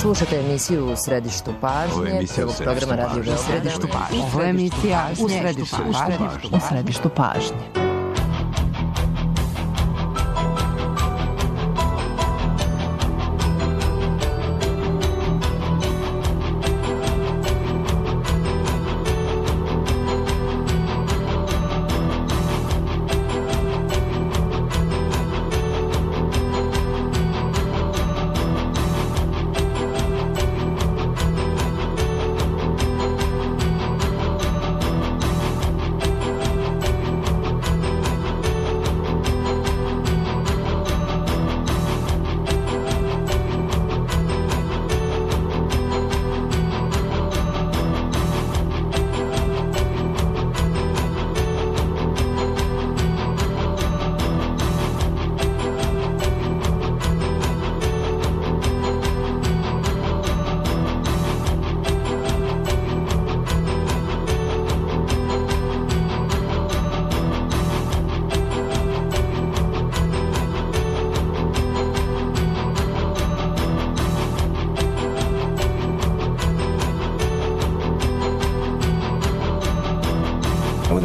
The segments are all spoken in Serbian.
Slušate emisiju U središtu pažnje, prvog programa Radio Beograda. Ovo je emisija U središtu pažnje.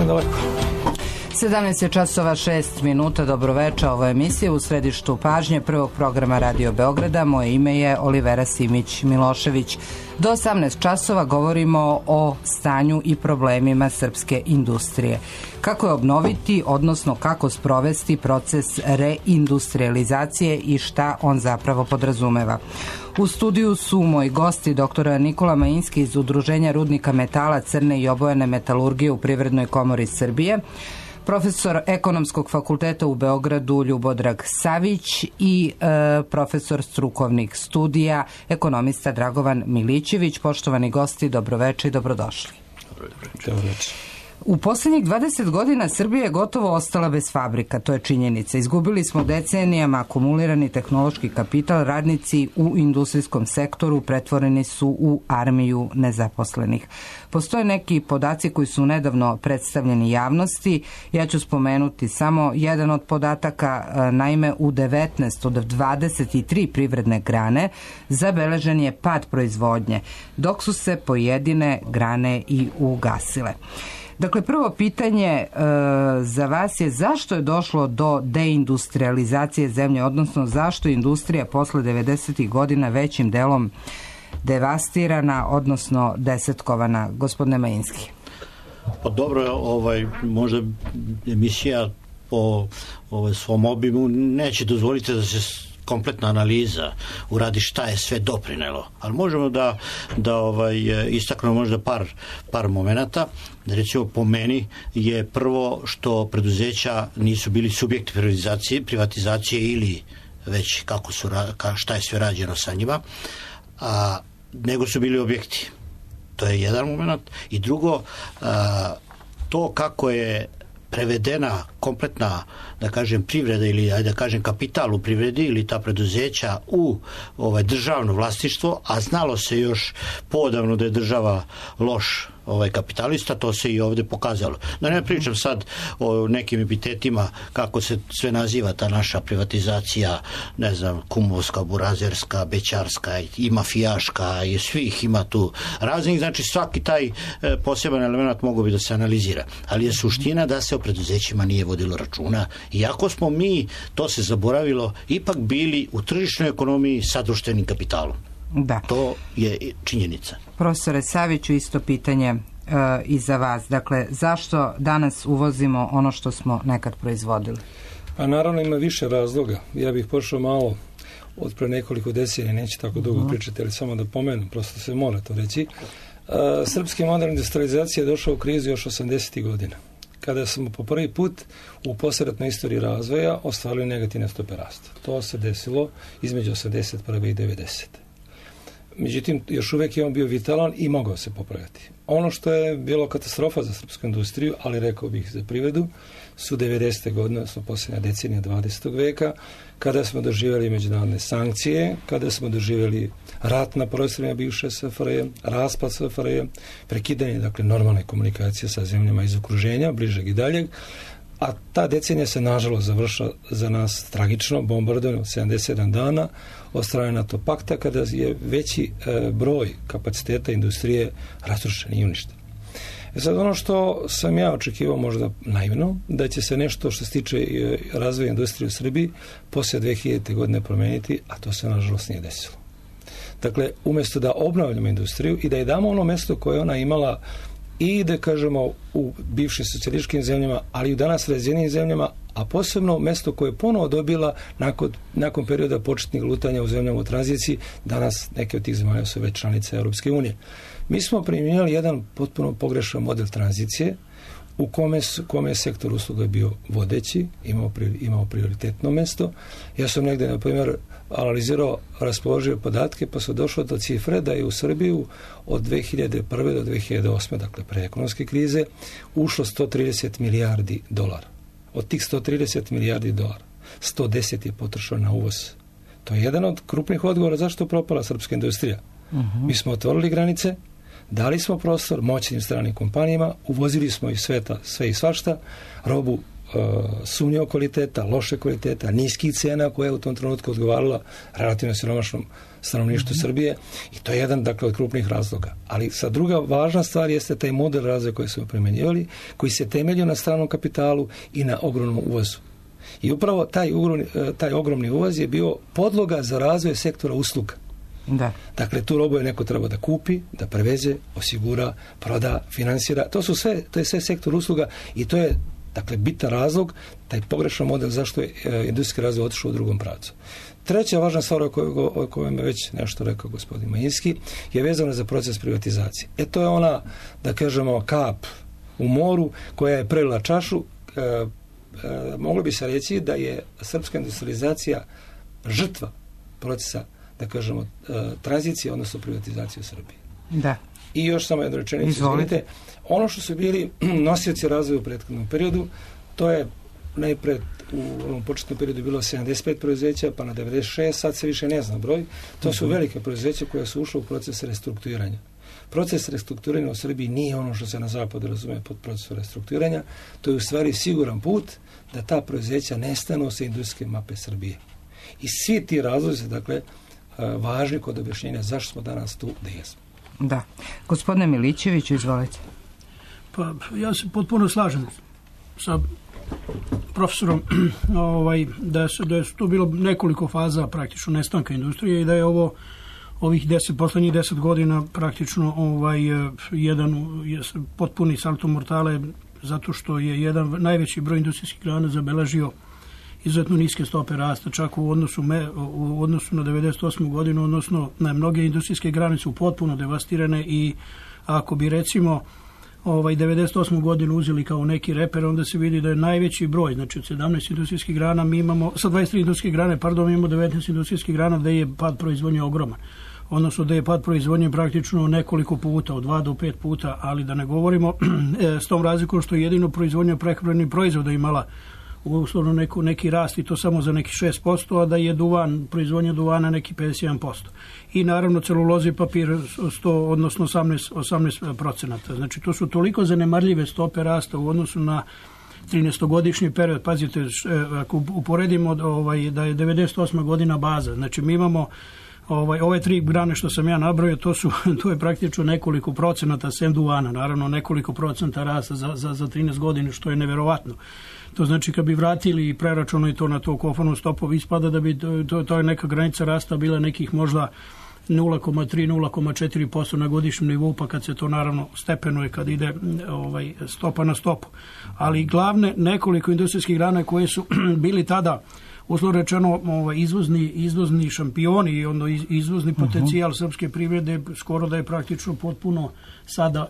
Daleko. 17 časova 6 minuta, dobroveče, ovo je emisija U središtu pažnje prvog programa Radio Beograda. Moje ime je Olivera Simić-Milošević. Do 18 časova govorimo o stanju i problemima srpske industrije. Kako je obnoviti, odnosno kako sprovesti proces reindustrializacije i šta on zapravo podrazumeva. U studiju su moji gosti dr. Nikola Majinski iz Udruženja rudnika metala, crne i obojene metalurgije u Privrednoj komori Srbije, profesor Ekonomskog fakulteta u Beogradu Ljubodrag Savić i profesor strukovnih studija, ekonomista Dragovan Milićević. Poštovani gosti, dobroveče i dobrodošli. Dobroveče. U posljednjih 20 godina Srbija je gotovo ostala bez fabrika, to je činjenica. Izgubili smo decenijama akumulirani tehnološki kapital, radnici u industrijskom sektoru pretvoreni su u armiju nezaposlenih. Postoje neki podaci koji su nedavno predstavljeni javnosti. Ja ću spomenuti samo jedan od podataka. Naime, u 19 od 23 privredne grane zabeležen je pad proizvodnje, dok su se pojedine grane i ugasile. Dakle, prvo pitanje za vas je zašto je došlo do deindustrializacije zemlje, odnosno zašto je industrija posle 90. godina većim delom devastirana, odnosno desetkovana? Gospodine Majinski. Pa dobro, možda emisija po svom obimu neće dozvoliti da se kompletna analiza uradi šta je sve doprinelo, ali možemo da istaknemo možda par momenata. Recimo, po meni je prvo što preduzeća nisu bili subjekti privatizacije ili već šta je sve rađeno sa njima, nego su bili objekti. To je jedan moment. I drugo, to kako je prevedena kompletna, da kažem, privreda ili da kažem kapital u privredi ili ta preduzeća u državno vlasništvo, a znalo se još poodavno da je država loš kapitalista, to se i ovdje pokazalo. Da ne pričam sad o nekim epitetima kako se sve naziva ta naša privatizacija, ne znam, kumovska, burazerska, bećarska i mafijaška, i svih ima tu raznih, znači svaki taj poseban element mogu bi da se analizira. Ali je suština da se o preduzećima nije vodilo računa, iako smo mi, to se zaboravilo, ipak bili u tržišnoj ekonomiji sa društvenim kapitalom. Da. To je činjenica. Profesore Saviću, isto pitanje i za vas. Dakle, zašto danas uvozimo ono što smo nekad proizvodili? Pa naravno ima više razloga. Ja bih pošao malo od pre nekoliko decenija, neće tako dugo pričati, ali samo da pomenem, prosto se mora to reći. Srpski modern industrializacija je došao u krizu još 80. godina, kada smo po prvi put u poslijeratnoj istoriji razvoja ostvarili negativne stope rasta. To se desilo između 81. i 90. Međutim, još uvijek je on bio vitalan i mogao se popraviti. Ono što je bilo katastrofa za srpsku industriju, ali rekao bih za privredu, su 90. godine, odnosno posljednja decenija 20. veka, kada smo doživjeli međunarodne sankcije, kada smo doživjeli rat na prostorima bivše SFRJ, raspad SFRJ, prekidanje, dakle, normalne komunikacije sa zemljama iz okruženja, bližeg i daljeg, a ta decenija se nažalost završila za nas tragično, bombardovano 77 dana od strane NATO pakta, kada je veći broj kapaciteta industrije razrušen i uništen. Sad ono što sam ja očekivao možda naivno, da će se nešto što se tiče razvoja industrije u Srbiji poslije 2000. godine promeniti, a to se nažalost nije desilo. Dakle, umjesto da obnavljamo industriju i da je damo ono mesto koje ona imala i da kažemo u bivšim socijalističkim zemljama, ali i u danas razvijenim zemljama, a posebno mesto koje je ponovo dobila nakon perioda početnih lutanja u zemljama u tranziciji, danas neke od tih zemalja su već članice Europske unije. Mi smo primjenjali jedan potpuno pogrešan model tranzicije u kome je sektor usluga bio vodeći, imao prioritetno mesto. Ja sam negdje, na primjer, analizirao, raspoložio podatke, pa sam došao do cifre da je u Srbiju od 2001. do 2008. dakle pre ekonomske krize, ušlo 130 milijardi dolara. Od tih 130 milijardi dolara, 110 je potrošeno na uvoz. To je jedan od krupnih odgovora zašto je propala srpska industrija. Mi smo otvorili granice, dali smo prostor moćnim stranim kompanijama, uvozili smo iz sveta sve i svašta, robu sumnjivog kvaliteta, loše kvaliteta, niskih cena koja je u tom trenutku odgovarala relativno siromašnom stanovništvu Srbije, i to je jedan, dakle, od krupnih razloga. Ali sa druga važna stvar jeste taj model razvoja koji smo primjenjivali, koji se temeljio na stranom kapitalu i na ogromnom uvozu. I upravo taj ogromni uvoz je bio podloga za razvoj sektora usluga. Da. Dakle, tu robu je neko treba da kupi, da preveze, osigura, proda, finansira. To je sve sektor usluga i to je, dakle, bitan razlog, taj pogrešan model zašto je industrijski razvoj otišao u drugom pravcu. Treća važna stvar o kojoj je već nešto rekao gospodin Majinski je vezana za proces privatizacije. To je ona, da kažemo, kap u moru koja je prelila čašu. Moglo bi se reći da je srpska industrializacija žrtva procesa, da kažemo, tranzicije, odnosno privatizacije u Srbiji. Da. I još samo jednu rečenicu, izvolite. Ono što su bili nosioci razvoja u prethodnom periodu, to je najpred u ovom početnom periodu bilo 75 preduzeća, pa na 96, sad se više ne zna broj. To su velike preduzeća koja su ušla u proces restrukturiranja. Proces restrukturiranja u Srbiji nije ono što se na zapadu razume pod procesom restrukturiranja. To je u stvari siguran put da ta preduzeća nestanu sa industrijske mape Srbije. I svi ti razlozi, dakle, važni kod objašnjenja zašto smo danas tu gde jesmo. Da. Gospodine Milićeviću, izvolite. Pa, ja se potpuno slažem sa profesorom da je to bilo nekoliko faza praktično nestanka industrije i da je ovih poslednjih 10 godina praktično jedan potpuni salto mortale, zato što je jedan najveći broj industrijskih grana zabeležio izuzetno niske stope rasta, čak u odnosu na 98. godinu, odnosno na mnoge industrijske grane su potpuno devastirane i ako bi recimo 98. godinu uzeli kao neki reper, onda se vidi da je najveći broj, znači od 17 industrijskih grana mi imamo, sa 23 industrijske grane, mi imamo 19 industrijskih grana da je pad proizvodnje ogroman. Odnosno da je pad proizvodnje praktično nekoliko puta, od 2 do 5 puta, ali da ne govorimo s tom razlikom što je jedino proizvodnja prehrambenih proizvoda imala uslovno neki rast i to samo za neki 6%, a da je proizvodnja duvana neki 51%. I naravno celuloza i papir 100, odnosno 18%. Znači to su toliko zanemarljive stope rasta u odnosu na 13-godišnji period. Pazite, ako uporedimo da je 98. godina baza, znači mi imamo ove 3 grane što sam ja nabrojio, to je praktično nekoliko procenata sem duvana, naravno nekoliko procenta rasta za 13 godina, što je neverovatno. To znači kad bi vratili i preračunali to na to kofanu stopu, ispada da bi to je neka granica rasta bila nekih možda 0,3-0,4% na godišnjem nivou, pa kad se to naravno stepenuje, kad ide stopa na stopu. Ali glavne nekoliko industrijskih grana koje su bili tada uslovno rečeno izvozni šampioni i izvozni potencijal srpske privrede skoro da je praktično potpuno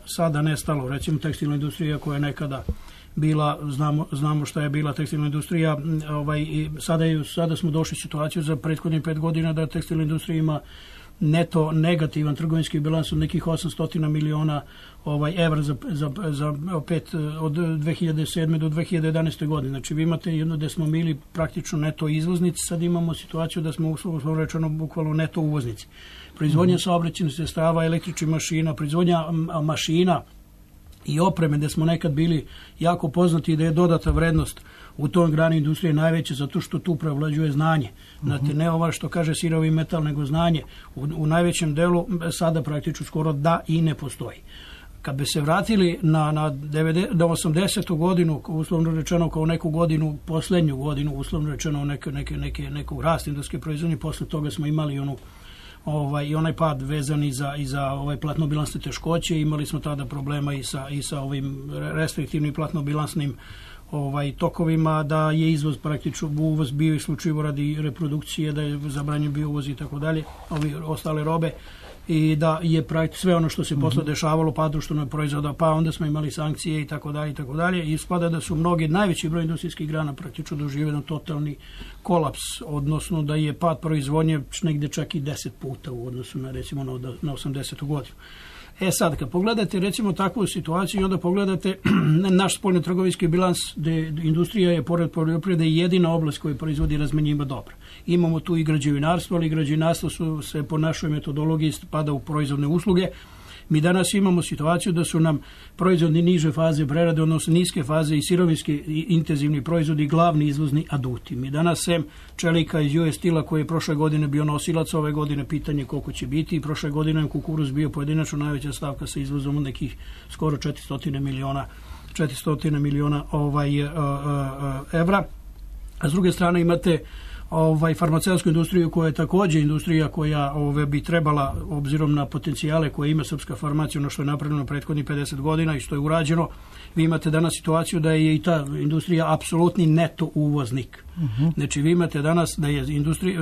sada nestalo. Recimo tekstilna industrija koja je nekada bila, znamo šta je bila tekstilna industrija, sada smo došli u situaciju za prethodnih 5 godina da tekstilna industrija ima neto negativan trgovinski bilans od nekih 800 miliona evra od 2007. do 2011. godine. Znači vi imate jedno gde smo bili praktično neto izvoznici, sad imamo situaciju da smo uslovno rečeno bukvalno neto uvoznici. Proizvodnja saobraćajnih sredstava, električnih mašina, proizvodnja mašina i opreme, gde smo nekad bili jako poznati, da je dodata vrednost u tom grani industrije najveće, zato što tu prevlađuje znanje. Znate, ne ova što kaže sirovi metal, nego znanje. U najvećem delu sada praktično skoro da i ne postoji. Kad bi se vratili na 80. godinu, uslovno rečeno kao neku godinu, poslednju godinu, uslovno rečeno neku rast industrijske proizvodnje, posle toga smo imali i onaj pad vezan i za platnobilansne teškoće. Imali smo tada problema i sa ovim restriktivnim platnobilansnim tokovima, da je izvoz praktično, uvoz bio isključivo radi reprodukcije, da je zabranjen bio uvoz i tako dalje, ostale robe, i da je praktično sve ono što se posle dešavalo, pad društvenog proizvoda, pa onda smo imali sankcije i tako dalje i tako dalje, i ispada da su mnogi, najveći broj industrijskih grana praktično doživio totalni kolaps, odnosno da je pad proizvodnje negde čak i 10 puta u odnosu na, recimo, na 80. godinu. Sad, kad pogledate recimo takvu situaciju i onda pogledate naš spoljno-trgovinski bilans, gde industrija je pored poljoprivrede jedina oblast koja proizvodi razmenjiva dobra. Imamo tu i građevinarstvo, ali građevinarstvo se po našoj metodologiji spada u proizvodne usluge. Mi danas imamo situaciju da su nam proizvodni niže faze prerade, odnosno niske faze i sirovinski intenzivni proizvodi glavni izvozni aduti. Mi danas sem čelika iz US Steel-a koji je prošle godine bio nosilac, ove godine pitanje koliko će biti, i prošle godine je kukuruz bio pojedinačno najveća stavka sa izvozom od nekih skoro 400 miliona evra. A s druge strane imate farmaceutsku industriju koja je takođe industrija koja bi trebala, obzirom na potencijale koje ima srpska farmacija, ono što je napravljeno prethodnih 50 godina i što je urađeno, vi imate danas situaciju da je i ta industrija apsolutni neto uvoznik. Znači vi imate danas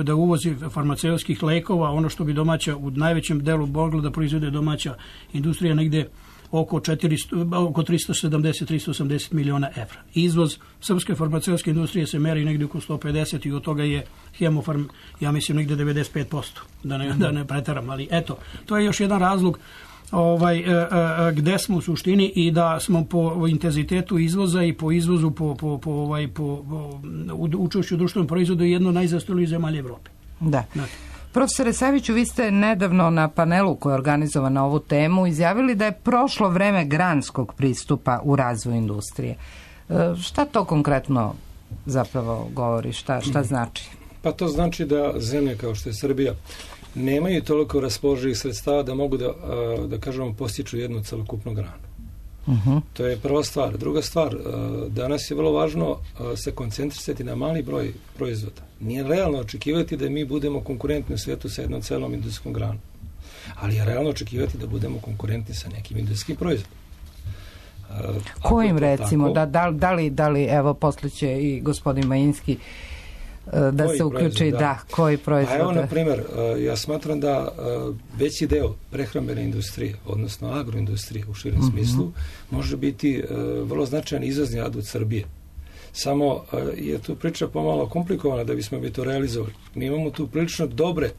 da uvozi farmaceutskih lekova, ono što bi domaća u najvećem delu mogla da proizvode domaća industrija, negde oko 370-380 miliona evra. Izvoz srpske farmaceutske industrije se meri negdje oko 150 i od toga je Hemofarm, ja mislim, negdje 95%, da ne pretaram, ali eto, to je još jedan razlog gde smo u suštini, i da smo po intenzitetu izvoza i po izvozu po učešću u društvenom proizvodu jedno najzastorijih zemalja Evrope. Da. Profesore Saviću, vi ste nedavno na panelu koji je organizovan na ovu temu izjavili da je prošlo vreme granskog pristupa u razvoju industrije. Šta to konkretno zapravo govori? Šta znači? Pa to znači da zemlje kao što je Srbija nemaju toliko raspoloživih sredstava da mogu da kažemo postiču jednu celokupnu granu. To je prva stvar. Druga stvar, danas je vrlo važno se koncentrisati na mali broj proizvoda. Nije realno očekivati da mi budemo konkurentni u svijetu sa jednom celom industrijskom granom. Ali je realno očekivati da budemo konkurentni sa nekim industrijskim proizvodom. Kojim recimo? Da li evo posle će i gospodin Majinski da se uključi, koji proizvod? Evo, na primjer, ja smatram da veći deo prehrambene industrije, odnosno agroindustrije u širem smislu, može biti vrlo značajan izvozni adut Srbije. Samo je tu priča pomalo komplikovana da bismo bi to realizovali. Mi imamo tu prilično dobre,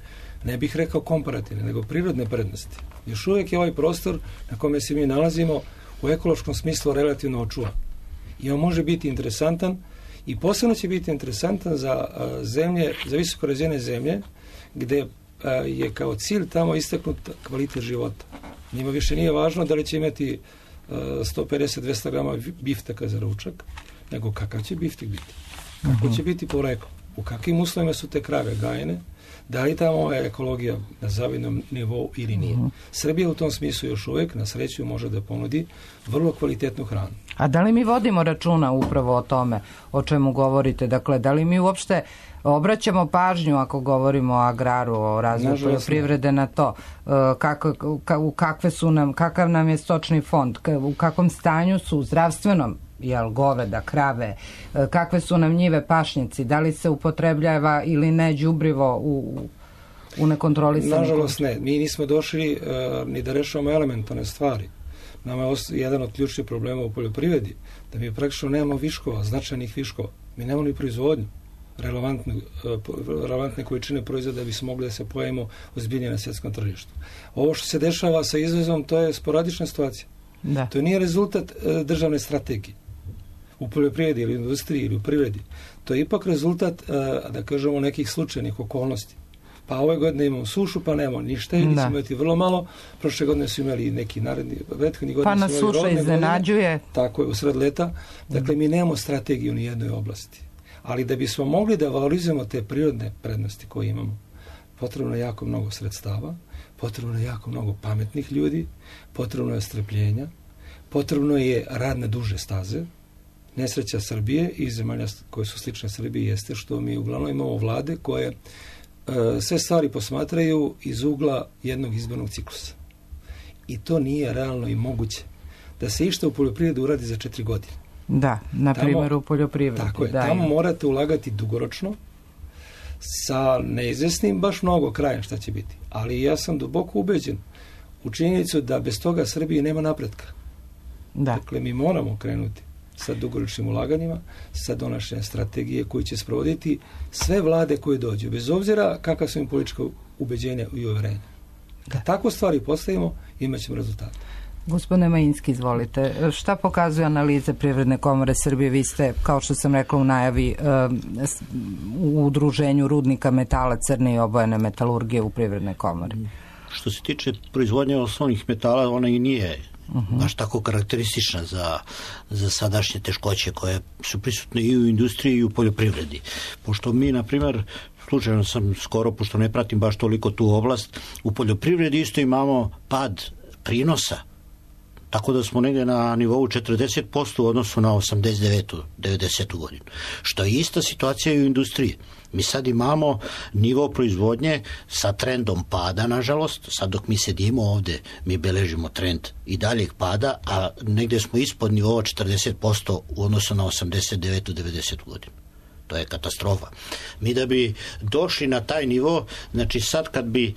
ne bih rekao komparativne, nego prirodne prednosti. Još uvijek je ovaj prostor na kome se mi nalazimo u ekološkom smislu relativno očuvan. I on može biti interesantan, i posebno će biti interesantan za zemlje, za visoko razvijene zemlje, gde je kao cilj tamo istaknut kvalitet života. Njima više nije važno da li će imati 150-200 grama biftaka za ručak, nego kakav će biftek biti. Kako će biti poreklo. U kakvim uslovima su te krave gajene, da li tamo je ekologija na zavidnom nivou ili nije. Srbija u tom smislu još uvijek, na sreću, može da ponudi vrlo kvalitetnu hranu. A da li mi vodimo računa upravo o tome o čemu govorite? Dakle, da li mi uopšte obraćamo pažnju ako govorimo o agraru, o razvoju poljoprivrede na to? Kakav nam je stočni fond? U kakvom stanju su zdravstvenom? Goveda, krave, kakve su nam njive, pašnjaci, da li se upotrebljava ili ne đubrivo u nekontrolisanom? Nažalost ne, mi nismo došli ni da rešavamo elementarne stvari. Nama je jedan od ključnih problema u poljoprivredi, da mi praktično nemamo viškova, značajnih viškova. Mi nemamo ni proizvodnju relevantne količine proizvoda da bi se mogli da se pojavimo ozbiljnije na svjetskom tržištu. Ovo što se dešava sa izvozom, to je sporadična situacija. To nije rezultat državne strategije u poljoprivredi ili industriji ili u privredi. To je ipak rezultat, da kažemo, nekih slučajnih okolnosti. Pa ove godine imamo sušu, pa nemamo ništa, ili ćemo imati vrlo malo. Prošle godine su imali neki naredni, prethodni godine pa su imali rodne godine. Pa nas suša iznenađuje. Tako je, u sred leta. Dakle, mi nemamo strategiju ni jednoj oblasti. Ali da bismo mogli da valorizujemo te prirodne prednosti koje imamo, potrebno je jako mnogo sredstava, potrebno je jako mnogo pametnih ljudi, potrebno je strpljenja, potrebno je rad na duže staze. Nesreća Srbije i zemalja koje su slične Srbiji jeste što mi uglavnom imamo vlade koje sve stvari posmatraju iz ugla jednog izbornog ciklusa. I to nije realno i moguće. Da se išta u poljoprivredu uradi za 4 godine. Da, na primjer u poljoprivredi. Tako je, tamo morate ulagati dugoročno, sa neizvesnim baš mnogo krajem šta će biti. Ali ja sam duboko ubeđen u činjenicu da bez toga Srbije nema napretka. Dakle, mi moramo krenuti sa dugoročnim ulaganjima, sa donošenjem strategije koji će sprovoditi sve vlade koje dođu, bez obzira kakva su im politička ubeđenja i uverenja. Kad tako stvari postavimo, imat ćemo rezultate. Gospodine Majinski, izvolite. Šta pokazuju analize Privredne komore Srbije? Vi ste, kao što sam rekla u najavi, u udruženju rudnika metala, crne i obojene metalurgije u Privrednoj komori. Što se tiče proizvodnje osnovnih metala, ona i nije baš tako karakteristična za sadašnje teškoće koje su prisutne i u industriji i u poljoprivredi. Pošto mi, na primjer, slučajno sam skoro, pošto ne pratim baš toliko tu oblast, u poljoprivredi isto imamo pad prinosa. Tako da smo negdje na nivou 40% u odnosu na 89-90 godinu. Što je ista situacija i u industriji. Mi sad imamo nivo proizvodnje sa trendom pada, nažalost. Sad dok mi sedimo ovdje, mi beležimo trend i daljeg pada, a negdje smo ispod nivova 40% u odnosu na 89-90 godinu. To je katastrofa. Mi da bi došli na taj nivo, znači sad kad bi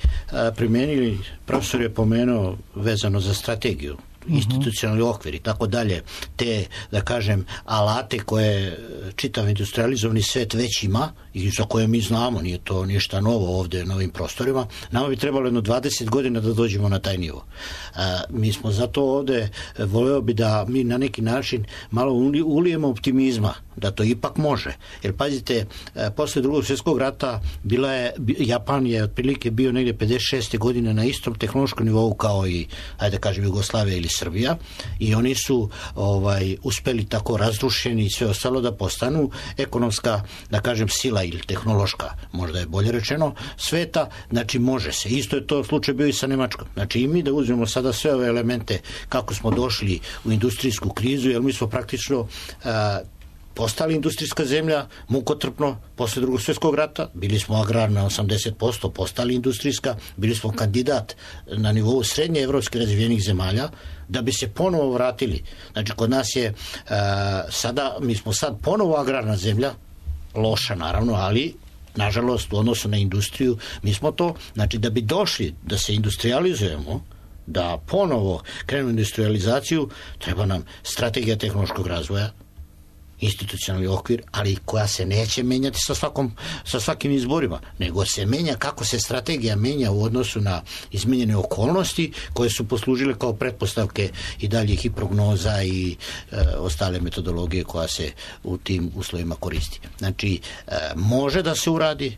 primijenili, profesor je pomenuo vezano za strategiju, institucionalni okvir i tako dalje, te, da kažem, alate koje čitav industrializovani svet već ima i za koje mi znamo, nije to ništa novo ovdje na ovim prostorima, nama bi trebalo jedno 20 godina da dođemo na taj nivo. Mi smo zato ovdje, voleo bi da mi na neki način malo ulijemo optimizma, da to ipak može. Jer pazite, posle Drugog svjetskog rata Japan je otprilike bio negdje 56. godine na istom tehnološkom nivou kao i, ajde kažem, Jugoslavija ili Srbija, i oni su uspeli tako razrušeni i sve ostalo da postanu ekonomska, da kažem, sila ili tehnološka, možda je bolje rečeno, sveta. Znači može se. Isto je to slučaj bio i sa Nemačkom. Znači i mi da uzmemo sada sve ove elemente kako smo došli u industrijsku krizu, jer mi smo praktično postali industrijska zemlja, mukotrpno, posle Drugog svjetskog rata, bili smo agrarna 80%, postali industrijska, bili smo kandidat na nivou srednje evropske razvijenih zemalja, da bi se ponovo vratili. Znači, kod nas je mi smo sad ponovo agrarna zemlja, loša naravno, ali nažalost u odnosu na industriju, mi smo to, znači da bi došli da se industrializujemo, da ponovo krenu industrializaciju, treba nam strategija tehnološkog razvoja, institucionalni okvir, ali koja se neće menjati sa svakim izborima, nego se menja kako se strategija menja u odnosu na izmenjene okolnosti koje su poslužile kao pretpostavke i daljih i prognoza i ostale metodologije koja se u tim uslovima koristi. Znači, može da se uradi,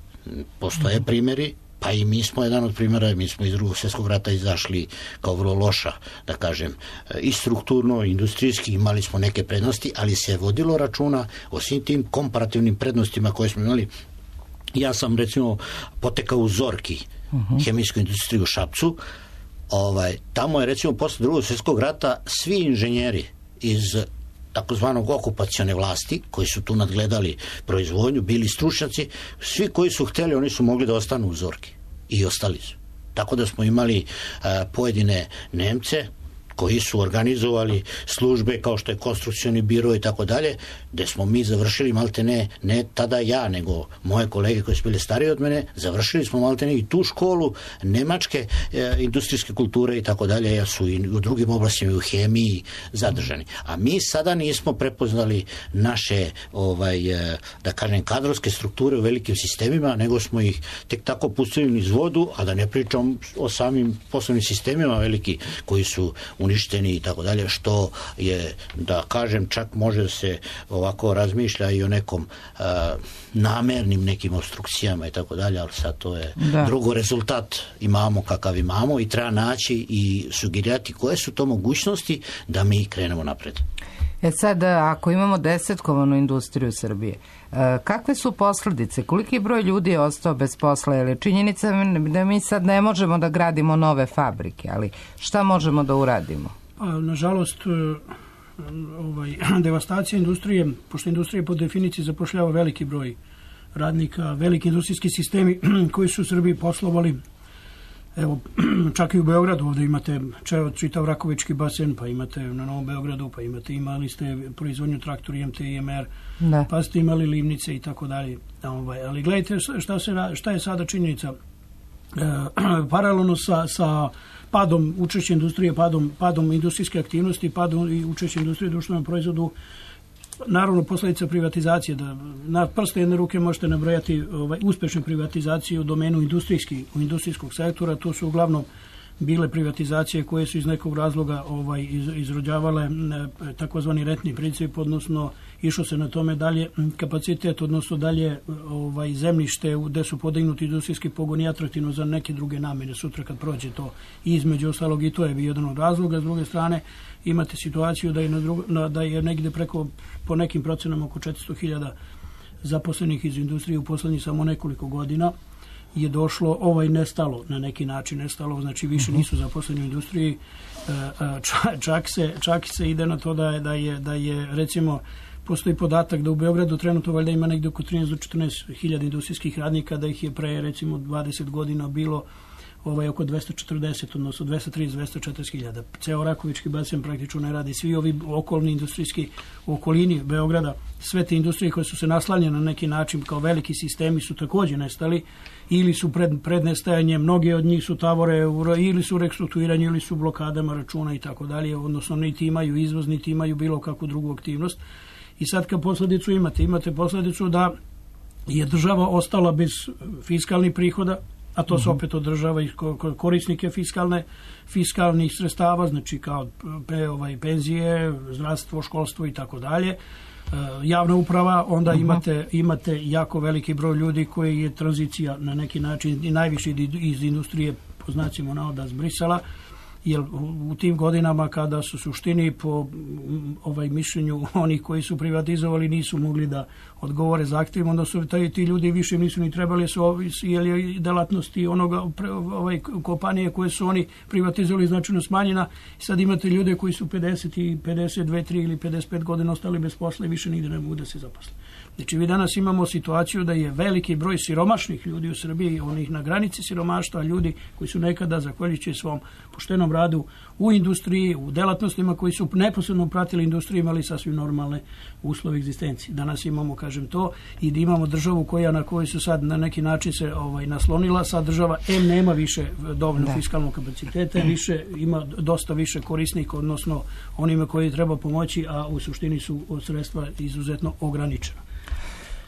postoje primjeri, pa i mi smo jedan od primjera, mi smo iz Drugog svjetskog rata izašli kao vrlo loša, da kažem, i strukturno, i industrijski, imali smo neke prednosti, ali se vodilo računa o svim tim komparativnim prednostima koje smo imali. Ja sam, recimo, potekao u Zorki, hemijsku industriju u Šapcu. Tamo je, recimo, posle Drugog svjetskog rata svi inženjeri iz takozvanog okupacione vlasti, koji su tu nadgledali proizvodnju, bili stručnjaci, svi koji su htjeli, oni su mogli da ostanu u Zorki. I ostali su. Tako da smo imali pojedine Nemce koji su organizovali službe kao što je konstrukcioni biro i tako dalje, gde smo mi završili maltene, ne tada ja, nego moje kolege koji su bili stariji od mene, završili smo maltene i tu školu nemačke industrijske kulture i tako dalje, jer su i u drugim oblastima i u hemiji zadržani. A mi sada nismo prepoznali naše, da kažem, kadrovske strukture u velikim sistemima, nego smo ih tek tako pustili niz vodu, a da ne pričam o samim poslovnim sistemima veliki koji su uništeni i tako dalje, što je, da kažem, čak može se ovako razmišlja i o nekom namernim nekim obstrukcijama i tako dalje, ali sad to je drugo, rezultat imamo kakav imamo i treba naći i sugerirati koje su to mogućnosti da mi krenemo napred. Sad, ako imamo 10-kovanu industriju Srbije, kakve su posljedice? Koliki broj ljudi je ostao bez posla? Jer je činjenica da mi sad ne možemo da gradimo nove fabrike, ali šta možemo da uradimo? Nažalost, devastacija industrije, pošto industrija po definiciji zapošljava veliki broj radnika, veliki industrijski sistemi koji su u Srbiji poslovali. Evo, čak i u Beogradu ovdje imate čitav Rakovički basen, pa imate na Novom Beogradu, pa imali ste proizvodnju traktora IMT i IMR, pa ste imali livnice i tako dalje. Ali gledajte šta je sada činjenica. Paralelno sa padom učešća industrije, padom industrijske aktivnosti, padom i učešća industrije u društvenom proizvodu, naravno posljedica privatizacije, da na prste jedne ruke možete nabrojati uspešne privatizacije u domenu industrijskog sektora. To su uglavnom bile privatizacije koje su iz nekog razloga izrođavale takozvani rentni princip, odnosno išlo se na tome dalje kapacitet, odnosno dalje zemljište gde su podignuti industrijski pogoni atraktivno za neke druge namjene sutra kad prođe to. Između ostalog i to je bio jedan od razloga. S druge strane imate situaciju da je negde po nekim procenama oko 400.000 zaposlenih iz industrije u poslednjih samo nekoliko godina je došlo, nestalo, na neki način nestalo, znači više nisu zaposleni u industriji. Čak se ide na to da je recimo, postoji podatak da u Beogradu trenutno valjda ima negdje oko 13 do 14.000 industrijskih radnika, da ih je pre recimo 20 godina bilo oko 240, odnosno 230-240.000. Ceo Rakovički basen praktično ne radi. Svi ovi okolni industrijski u okolini Beograda, sve te industrije koje su se naslanjene na neki način kao veliki sistemi su također nestali ili su pred nestajanjem, mnoge od njih su tavore ili su restrukturiranje ili su blokadama računa i tako dalje, odnosno niti imaju izvoz, niti imaju bilo kakvu drugu aktivnost. I sad kad posljedicu imate posljedicu da je država ostala bez fiskalnih prihoda, a to se opet od država i korisnike fiskalnih sredstava, znači kao penzije, zdravstvo, školstvo i tako dalje. Javna uprava, onda imate jako veliki broj ljudi koji je tranzicija na neki način i najviše iz industrije po znacima navoda zbrisala, jer u tim godinama kada su suštini po mišljenju onih koji su privatizovali nisu mogli da odgovore zahtjevima, onda su ti ljudi više nisu ni trebali, jer je delatnosti kompanije koje su oni privatizovali značajno smanjena. Sad imate ljude koji su 52, 3 ili 55 godina ostali bez posla i više nigde ne mogu da se zaposle. Znači mi danas imamo situaciju da je veliki broj siromašnih ljudi u Srbiji, onih na granici siromaštva, ljudi koji su nekada, zahvaljujući svom poštenom radu u industriji, u delatnostima koji su neposredno pratili industriju, imali sasvim normalne uslove egzistencije. Danas imamo, kažem to, i da imamo državu na kojoj su sad na neki način se naslonila. Sad država nema više dovoljno fiskalnog kapaciteta, ima dosta više korisnika, odnosno onima koji treba pomoći, a u suštini su sredstva izuzetno ograničena.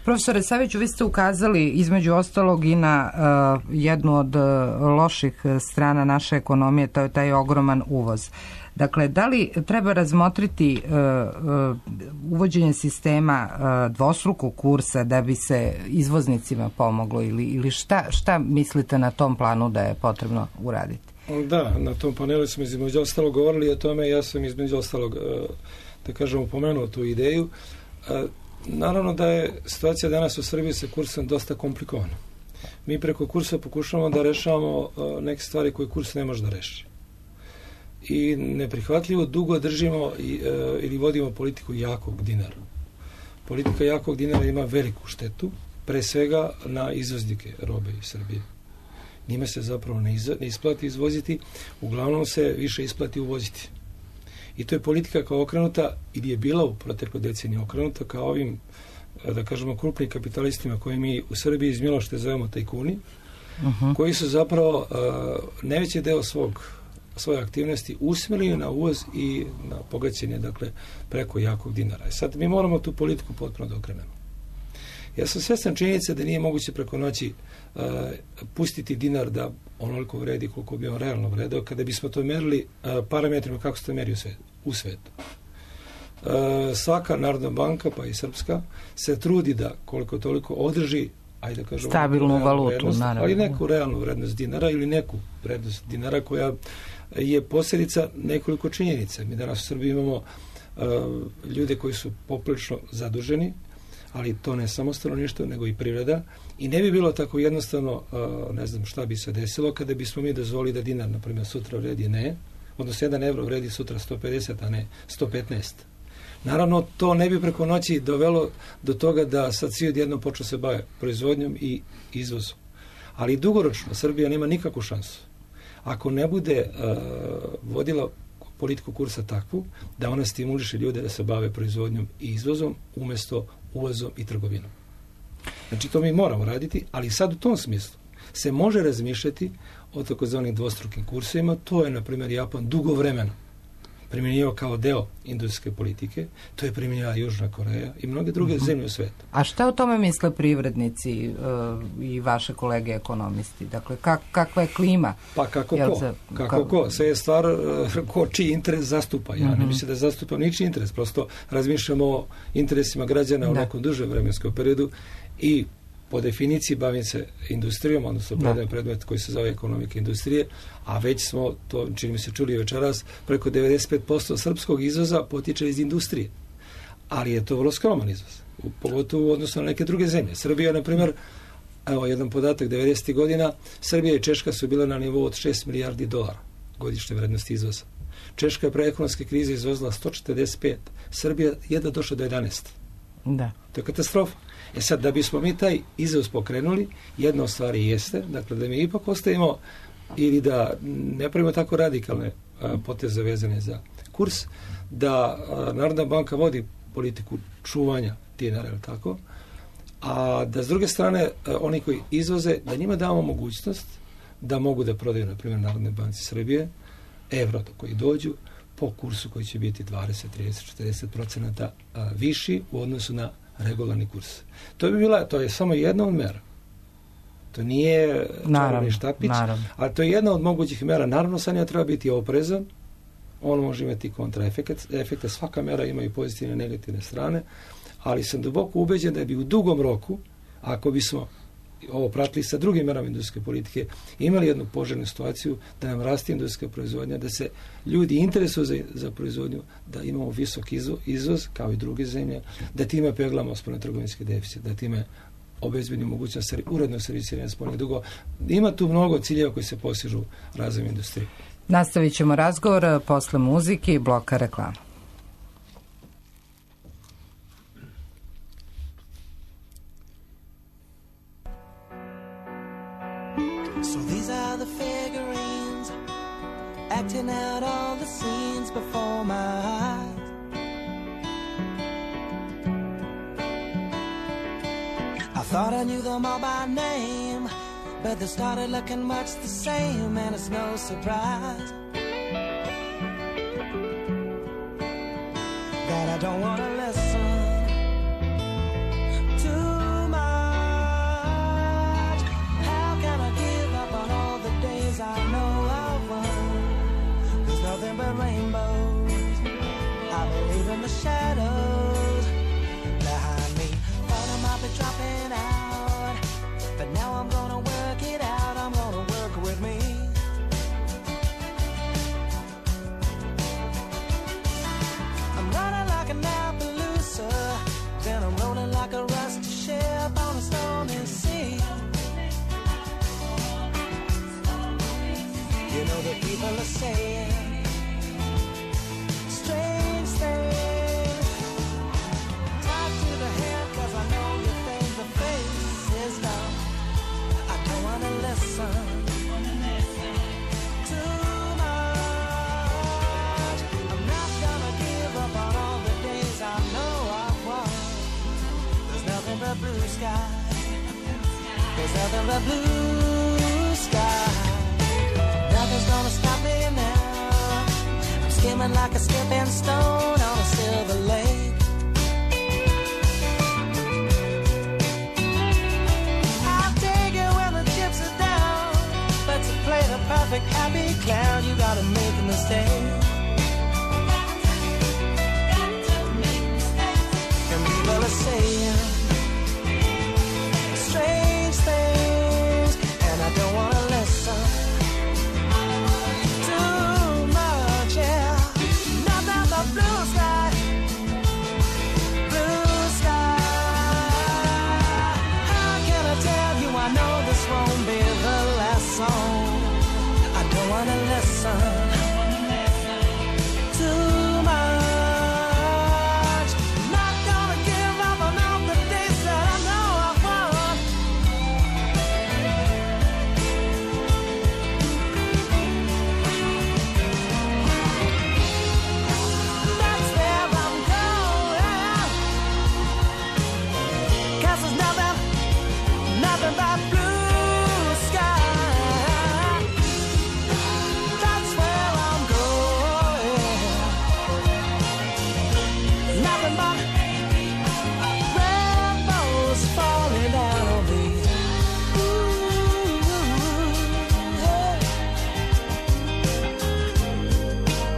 Profesore Saviću, vi ste ukazali između ostalog i na jednu od loših strana naše ekonomije, to je taj ogroman uvoz. Dakle, da li treba razmotriti uvođenje sistema dvostrukog kursa da bi se izvoznicima pomoglo ili šta mislite na tom planu da je potrebno uraditi? Da, na tom panelu smo između ostalog govorili o tome, ja sam između ostalog, da kažem, upomenuo tu ideju. Naravno da je situacija danas u Srbiji sa kursom dosta komplikovana. Mi preko kursa pokušavamo da rešavamo neke stvari koje kurs ne može da reši. I neprihvatljivo dugo držimo ili vodimo politiku jakog dinara. Politika jakog dinara ima veliku štetu, pre svega na izvoznike robe iz Srbije. Njima se zapravo ne isplati izvoziti, uglavnom se više isplati uvoziti. I to je politika kao okrenuta, ili je bila u protekloj deceniji okrenuta kao ovim, da kažemo, krupnim kapitalistima koje mi u Srbiji iz Milošte zovemo tajkuni, koji su zapravo najveći deo svoje aktivnosti usmerili na uvoz i na bogaćenje, dakle, preko jakog dinara. Sad mi moramo tu politiku potpuno da okrenemo. Ja sam svjestan činjenica da nije moguće preko noći pustiti dinar da onoliko vredi koliko bi on realno vredeo, kada bismo to merili parametrima kako se to meri u svetu. Svaka narodna banka, pa i srpska, se trudi da koliko toliko održi, ajde da kažemo, stabilnu valutu, vrednost, naravno. ali neku realnu vrednost dinara ili neku vrednost dinara koja je posljedica nekoliko činjenica. Mi danas u Srbiji imamo ljude koji su poprilično zaduženi, ali to ne samo stanovništvo, nego i privreda. I ne bi bilo tako jednostavno, ne znam šta bi se desilo, kada bismo mi dozvolili da dinar, na primjer, sutra vredi odnosno 1 evro vredi sutra 150, a ne 115. Naravno, to ne bi preko noći dovelo do toga da sad svi odjednom počnu se bave proizvodnjom i izvozom. Ali dugoročno Srbija nema nikakvu šansu. Ako ne bude vodila politiku kursa takvu, da ona stimuliše ljude da se bave proizvodnjom i izvozom umjesto uvozom i trgovinom. Znači, to mi moramo raditi, ali sad u tom smislu se može razmišljati o takozvanim dvostrukim kursevima. To je, na primjer, Japan dugo vremena primjenjivao kao deo industrijske politike. To je primjenjivala Južna Koreja i mnoge druge zemlje u svetu. A šta o tome misle privrednici i vaše kolege ekonomisti? Dakle, kakva je klima? Pa kako ko? Sve je stvar ko čiji interes zastupa. Ja ne mislim da zastupa ničiji interes. Prosto razmišljamo o interesima građana u nekom dužem vremenskom periodu i po definiciji bavim se industrijom, odnosno predajem predmet koji se zove ekonomika industrije, a već smo, to čini mi se čuli večeras, preko 95% srpskog izvoza potiče iz industrije. Ali je to vrlo skroman izvoz, pogotovo u odnosu na neke druge zemlje. Srbija, na primjer, evo jedan podatak, 90. godina, Srbija i Češka su bile na nivou od 6 milijardi dolara godišnje vrednosti izvoza. Češka je pre ekonomske krize izvozila 145, Srbija jedva došla do 11. Da. To je katastrofa. Sad, da bismo mi taj izvoz pokrenuli, jedna od stvari jeste, dakle, da mi ipak ostavimo ili da ne pravimo tako radikalne poteze vezane za kurs, da Narodna banka vodi politiku čuvanja dinara, tako, a da s druge strane oni koji izvoze, da njima damo mogućnost da mogu da prodaju, na primjer, Narodne banci Srbije, evro do koji dođu, po kursu koji će biti 20, 30, 40% viši u odnosu na regularni kurs. To je samo jedna od mera. To nije čarobni štapić, ali to je jedna od mogućih mera. Naravno, sa njima treba biti oprezan, on može imati kontraefekte, svaka mera ima i pozitivne i negativne strane, ali sam duboko ubeđen da bi u dugom roku, ako bismo ovo pratili sa drugim merama industrijske politike, imali jednu poželjnu situaciju da nam raste industrijska proizvodnja, da se ljudi interesuju za proizvodnju, da imamo visok izvoz, kao i druge zemlje, da time peglamo spoljnotrgovinski deficit, da time obezbedimo mogućnost urednog servisiranja spoljnih dugova. Ima tu mnogo ciljeva koji se postižu razvojem industrije. Nastavit ćemo razgovor posle muzike i bloka reklama. So these are the figurines acting out all the scenes before my eyes. I thought I knew them all by name, but they started looking much the same, and it's no surprise that I don't want to listen too much. How can I give up on all the days I know I've won? There's nothing but rainbows. I believe in the shadows behind me. Thought I might be dropping out, but now I'm gonna work it out. I'm gonna work with me. I'm running like an Appaloosa, then I'm rolling like a rusty ship on a stormy sea. You know the people are saying strange things. Tied to the head, 'cause I know you think the face is dumb. I don't wanna listen too much. I'm not gonna give up on all the days I know I've won. There's nothing but blue sky. There's nothing but blue sky. Nothing's gonna stop me now. I'm skimming like a skipping stone on a silver lake. perfect happy clown, you gotta make a mistake. And people are saying strange things, and I don't wanna listen too much, yeah. Nothing but blue sky, blue sky. How can I tell you I know this won't be the last song? I don't wanna listen too much. Not gonna give up on all the days that I know I won. That's where I'm going. 'Cause there's nothing but blue sky. That's where I'm going. Nothing but rainbows falling down on me.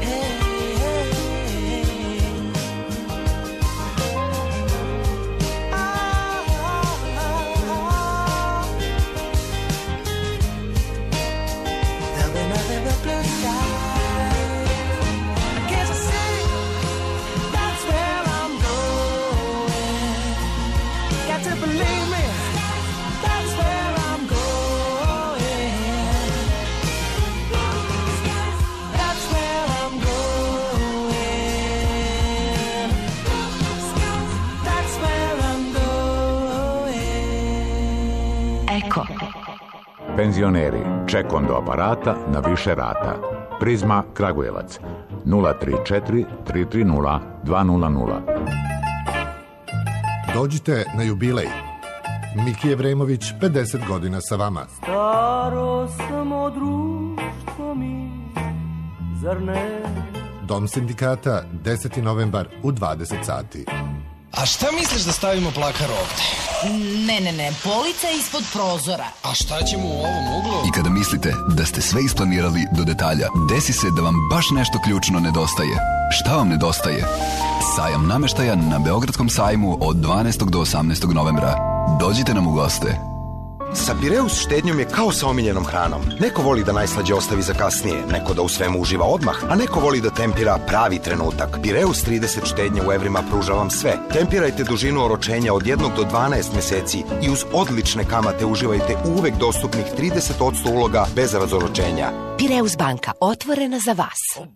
Hey, hey, hey. There'll be nothing but blue skies. Can't you see? That's where I'm going. Got to believe me. That's where I'm going. That's where I'm going. That's where I'm going. Eko. Penzioneri, ček do aparata na više rata. Prizma Kragujevac 034 330 200. Dođite na jubilej. Miki Evremović, 50 godina sa vama. Staro samo društvo mi, zar ne? Dom sindikata, 10. novembar u 20 sati. A šta misliš da stavimo plakar ovde? Ne, polica ispod prozora. A šta ćemo u ovom uglu? I kada mislite da ste sve isplanirali do detalja, desi se da vam baš nešto ključno nedostaje. Šta vam nedostaje? Sajam nameštaja na Beogradskom sajmu od 12. do 18. novembra. Dođite nam u goste. Sa Pireus štednjom je kao sa omiljenom hranom. Neko voli da najslađe ostavi za kasnije, neko da u svemu uživa odmah, a neko voli da tempira pravi trenutak. Pireus 30 štednje u evrima pruža vam sve. Tempirajte dužinu oročenja od 1 do 12 meseci i uz odlične kamate uživajte u uvek dostupnih 30% uloga bez razoročenja. Pireus banka, otvorena za vas.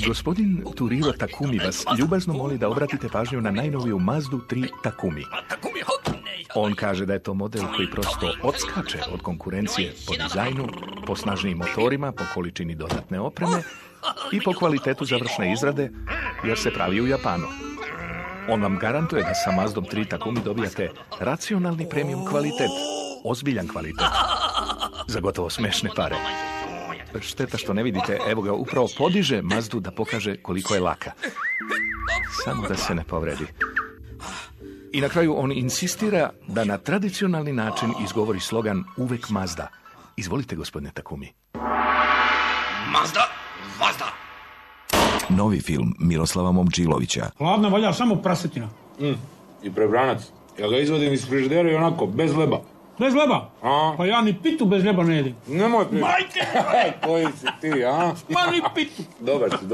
Gospodin Turiro Takumi vas ljubazno moli da obratite pažnju na najnoviju Mazdu 3 Takumi. On kaže da je to model koji prosto odskače od konkurencije po dizajnu, po snažnijim motorima, po količini dodatne opreme i po kvalitetu završne izrade, jer se pravi u Japanu. On vam garantuje da sa Mazdom 3 Takumi dobijate racionalni premium kvalitet, ozbiljan kvalitet, za gotovo smešne pare. Šteta što ne vidite, evo ga, upravo podiže Mazdu da pokaže koliko je laka. Samo da se ne povredi. I na kraju on insistira da na tradicionalni način izgovori slogan uvek Mazda. Izvolite, gospodine Takumi. Mazda, Mazda. Novi film Miroslava Momčilovića. Hladna valja samo prasetina. I prebranac. Ja ga izvodim iz frižidera i onako, bez leba. Bez leba? Pa ja ni pitu bez leba ne jedim. Nemoj pitu. Majke! Koji si ti, a? Ma ni pitu. Dobar si.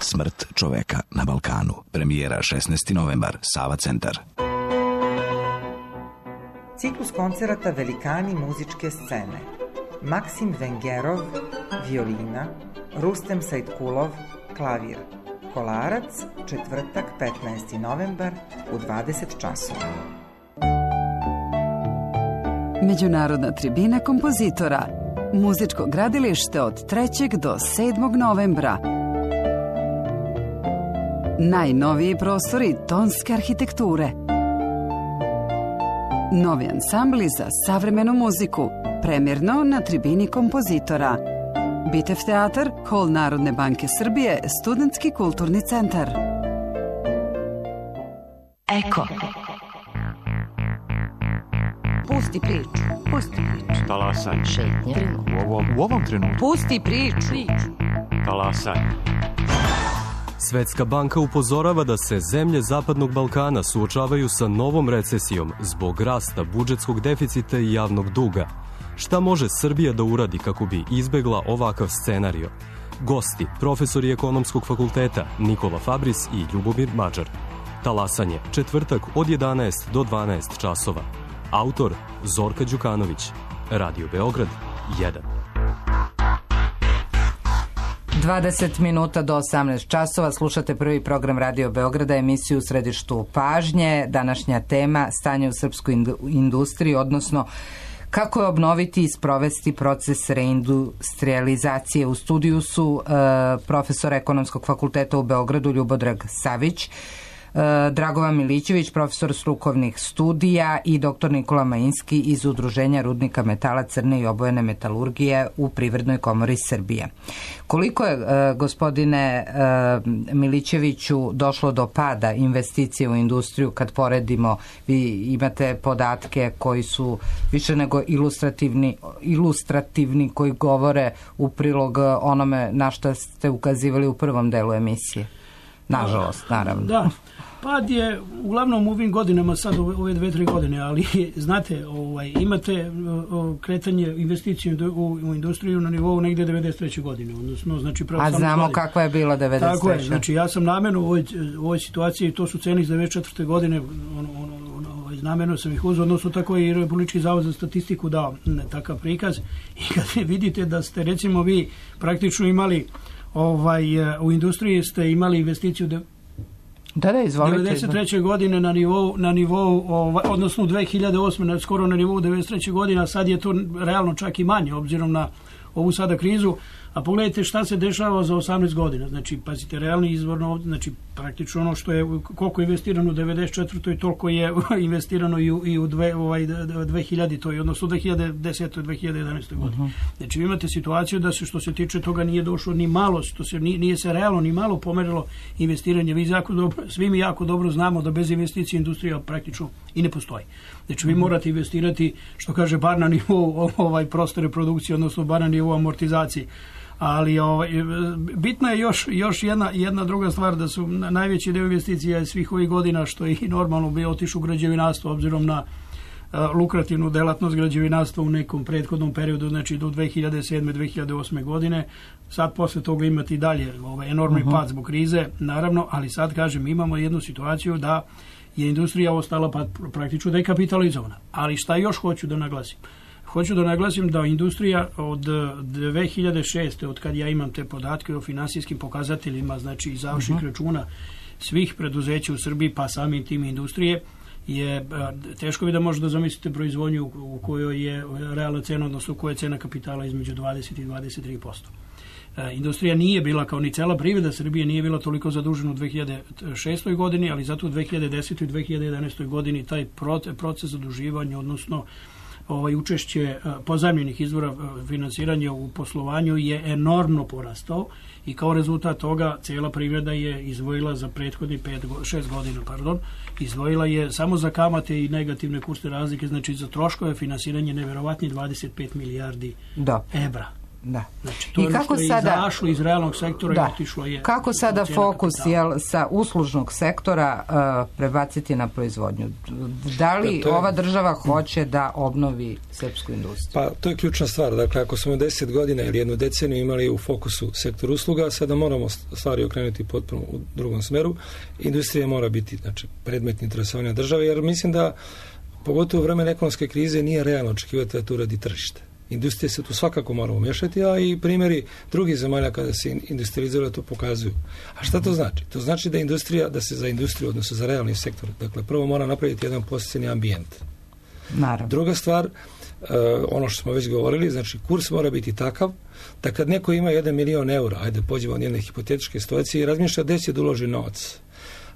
Smrt čoveka na Balkanu. Premijera 16. novembar, Sava centar. Ciklus koncerata Velikani muzičke scene. Maksim Vengerov, violina, Rustem Sajtkulov, klavir. Kolarac, četvrtak, 15. novembar u 20 časova. Međunarodna tribina kompozitora. Muzičko gradilište od 3. do 7. novembra. Najnoviji prostori tonske arhitekture. Novi ansambli za savremenu muziku. Premjerno na tribini kompozitora. Bitev teatar, Hol Narodne banke Srbije, Studentski kulturni centar. Eko. Pusti priču. Pusti priču. Talasanje. Šetnje. U ovom trenutku. Pusti priču. Talasanje. Svetska banka upozorava da se zemlje Zapadnog Balkana suočavaju sa novom recesijom zbog rasta budžetskog deficita i javnog duga. Šta može Srbija da uradi kako bi izbegla ovakav scenario? Gosti, profesori Ekonomskog fakulteta Nikola Fabris i Ljubomir Mađar. Talasanje, četvrtak od 11 do 12 časova. Autor Zorka Đukanović. Radio Beograd 1. 20 minuta do 18 časova. Slušate prvi program Radio Beograda, emisiju u središtu pažnje. Današnja tema stanje u srpskoj industriji, odnosno kako je obnoviti i sprovesti proces reindustrializacije. U studiju su profesor Ekonomskog fakulteta u Beogradu Ljubodrag Savić, Dragovan Milićević, profesor strukovnih studija i dr. Nikola Majinski iz Udruženja rudnika metala crne i obojene metalurgije u Privrednoj komori Srbije. Koliko je, gospodine Milićeviću, došlo do pada investicije u industriju kad poredimo, vi imate podatke koji su više nego ilustrativni, koji govore u prilog onome na što ste ukazivali u prvom delu emisije? Nažalost, naravno. Da, pad je uglavnom u ovim godinama, sad ove 2-3 godine, ali znate, imate kretanje investicije u industriju na nivou negde 93. godine. Odnosno, znači, a znamo kakva je bila 93. Tako je, znači ja sam namjerno u ovoj situaciji, to su cene iz 94. godine, namjerno sam ih uzeo, odnosno tako i Republički zavod za statistiku dao takav prikaz. I kad vidite da ste, recimo, vi praktično imali u industriji ste imali investiciju izvolite. 93. godine na nivou odnosno 2008. skoro na nivou 93. godine, a sad je to realno čak i manje obzirom na ovu sada krizu. A pogledajte šta se dešava za 18 godina. Znači, pazite, realni izvorno, znači praktično ono što je, koliko je investirano u 94. i toliko je investirano i u 2000. odnosno 2010. i 2011. godine. Znači, vi imate situaciju da se, što se tiče toga, nije došlo ni malo, nije se realno ni malo pomerilo investiranje. Svi mi jako dobro znamo da bez investicije industrija praktično i ne postoji. Znači, vi morate investirati, što kaže, bar na nivou prostore produkcije, odnosno bar na nivou amortizacije. Ali bitna je još jedna druga stvar, da su najveći deo investicija svih ovih godina, što je i normalno bio, otišao u građevinarstvo, obzirom na lukrativnu delatnost građevinarstva u nekom prethodnom periodu, znači do 2007. 2008. godine. Sad posle toga imati dalje enormni pad zbog krize, naravno, ali sad, kažem, imamo jednu situaciju da je industrija ostala praktično dekapitalizovana. Ali šta još hoću da naglasim? Hoću da naglasim da industrija od 2006. od kad ja imam te podatke o finansijskim pokazateljima, znači iz završnih računa svih preduzeća u Srbiji, pa samim tim industrije, je teško bi da možete da zamislite proizvodnju u kojoj je realna cena, odnosno u kojoj je cena kapitala između 20 i 23%. Industrija nije bila, kao ni cela privreda Srbije, nije bila toliko zadužena u 2006. godini, ali zato u 2010. i 2011. godini taj proces zaduživanja, odnosno učešće pozajmljenih izvora finansiranja u poslovanju je enormno porastao i kao rezultat toga cijela privreda je izdvojila za prethodni 6 godina, izdvojila je samo za kamate i negativne kursne razlike, znači za troškove finansiranje neverovatni 25 milijardi evra. Da. Znači, to je ono što je izašlo iz realnog sektora i otišlo je. Kako sada fokus sa uslužnog sektora prebaciti na proizvodnju? Da li ova država hoće da obnovi srpsku industriju? Pa to je ključna stvar. Dakle, ako smo 10 godina ili jednu deceniju imali u fokusu sektor usluga, sada moramo stvari okrenuti potpuno u drugom smeru. Industrija mora biti, znači, predmet interesovanja države, jer mislim da pogotovo u vremenu ekonomske krize nije realno očekivati da to uradi tržište. Industrija se tu svakako mora umješati, a i primjeri drugih zemalja kada se industrializira to pokazuju. A šta to znači? To znači da se za industriju, odnosno za realni sektor, dakle, prvo mora napraviti jedan posebni ambijent. Naravno. Druga stvar, ono što smo već govorili, znači kurs mora biti takav da kad neko ima 1 milion eura, ajde pođemo od jedne hipotetičke situacije i razmišlja gdje će da uloži novac,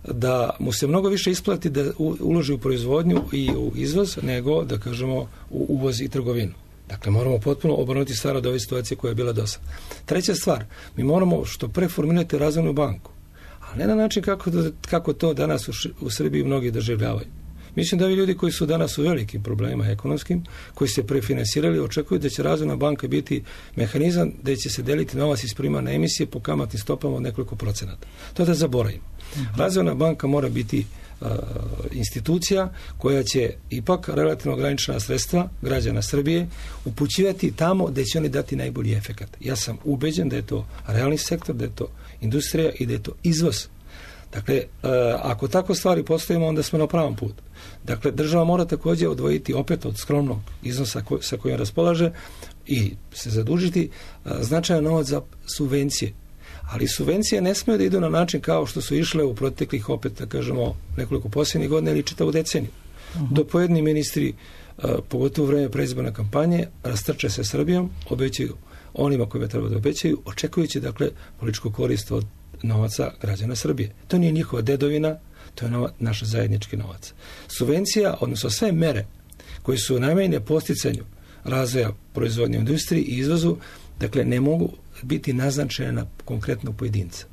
da mu se mnogo više isplati da uloži u proizvodnju i u izvoz nego, da kažemo, u uvoz i trgovinu. Dakle, moramo potpuno obrnuti stvar od ove situacije koja je bila do sada. Treća stvar, mi moramo što pre formirati razvojnu banku, ali ne na način kako to danas u Srbiji mnogi doživljavaju. Mislim da ovi ljudi koji su danas u velikim problemima ekonomskim, koji se prefinansirali, očekuju da će Razvojna banka biti mehanizam da će se deliti novac iz primarne emisije po kamatnim stopama od nekoliko procenata. To da zaboravimo. Razvojna banka mora biti institucija koja će ipak relativno ograničena sredstva građana Srbije upućivati tamo da će oni dati najbolji efekat. Ja sam ubeđen da je to realni sektor, da je to industrija i da je to izvoz. Dakle, ako tako stvari postavimo, onda smo na pravom putu. Dakle, država mora također odvojiti opet od skromnog iznosa sa kojim raspolaže i se zadužiti značajan novac za subvencije. Ali subvencije ne smiju da idu na način kao što su išle u proteklih, opet da kažemo, nekoliko posljednjih godina ili čitavu deceniju. Do pojedini ministri, pogotovo u vreme predizborne kampanje, rastrče se Srbijom, obećaju onima kojima treba da obećaju, očekujući, dakle, političku korist od novaca građana Srbije. To nije njihova dedovina, to je naš zajednički novac. Subvencija, odnosno sve mere koje su namenjene posticanju razvoja proizvodnje industriji i izvozu, dakle, ne mogu biti naznačene na konkretnog pojedinca.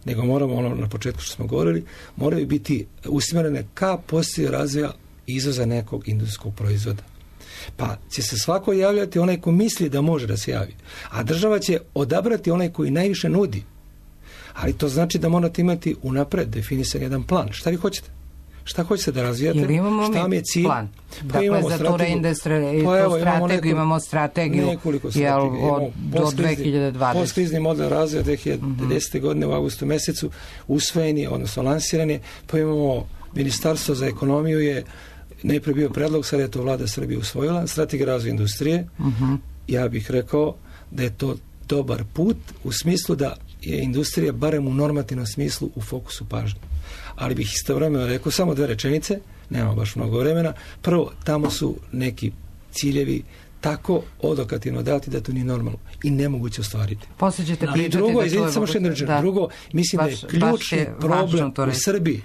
Nego moramo, ono na početku što smo govorili, moraju biti usmjerene ka postizanju razvoja izvoza nekog industrijskog proizvoda. Pa će se svako javljati onaj ko misli da može da se javi. A država će odabrati onaj koji najviše nudi. Ali to znači da morate imati unapred definisan jedan plan. Šta vi hoćete? Šta hoćete da razvijate? Šta vam je cilj? Plan. Dakle, za tu strategiju imamo strategiju do 2020. Postkrizni model razvoja 2010. godine u augustu mesecu usvojen je, odnosno lansiran je, pa imamo Ministarstvo za ekonomiju je najprije bio predlog, sad je to vlada Srbije usvojila, strategija razvoja industrije. Ja bih rekao da je to dobar put u smislu da je industrija barem u normativnom smislu u fokusu pažnje. Ali bih istovremeno rekao samo 2 rečenice, nema baš mnogo vremena. Prvo, tamo su neki ciljevi tako odokativno dati da to nije normalno i nemoguće ostvariti. Poslije ćete pričati. I drugo, izvinite samo što jednu rečenicu. Drugo, mislim da je ključni problem u Srbiji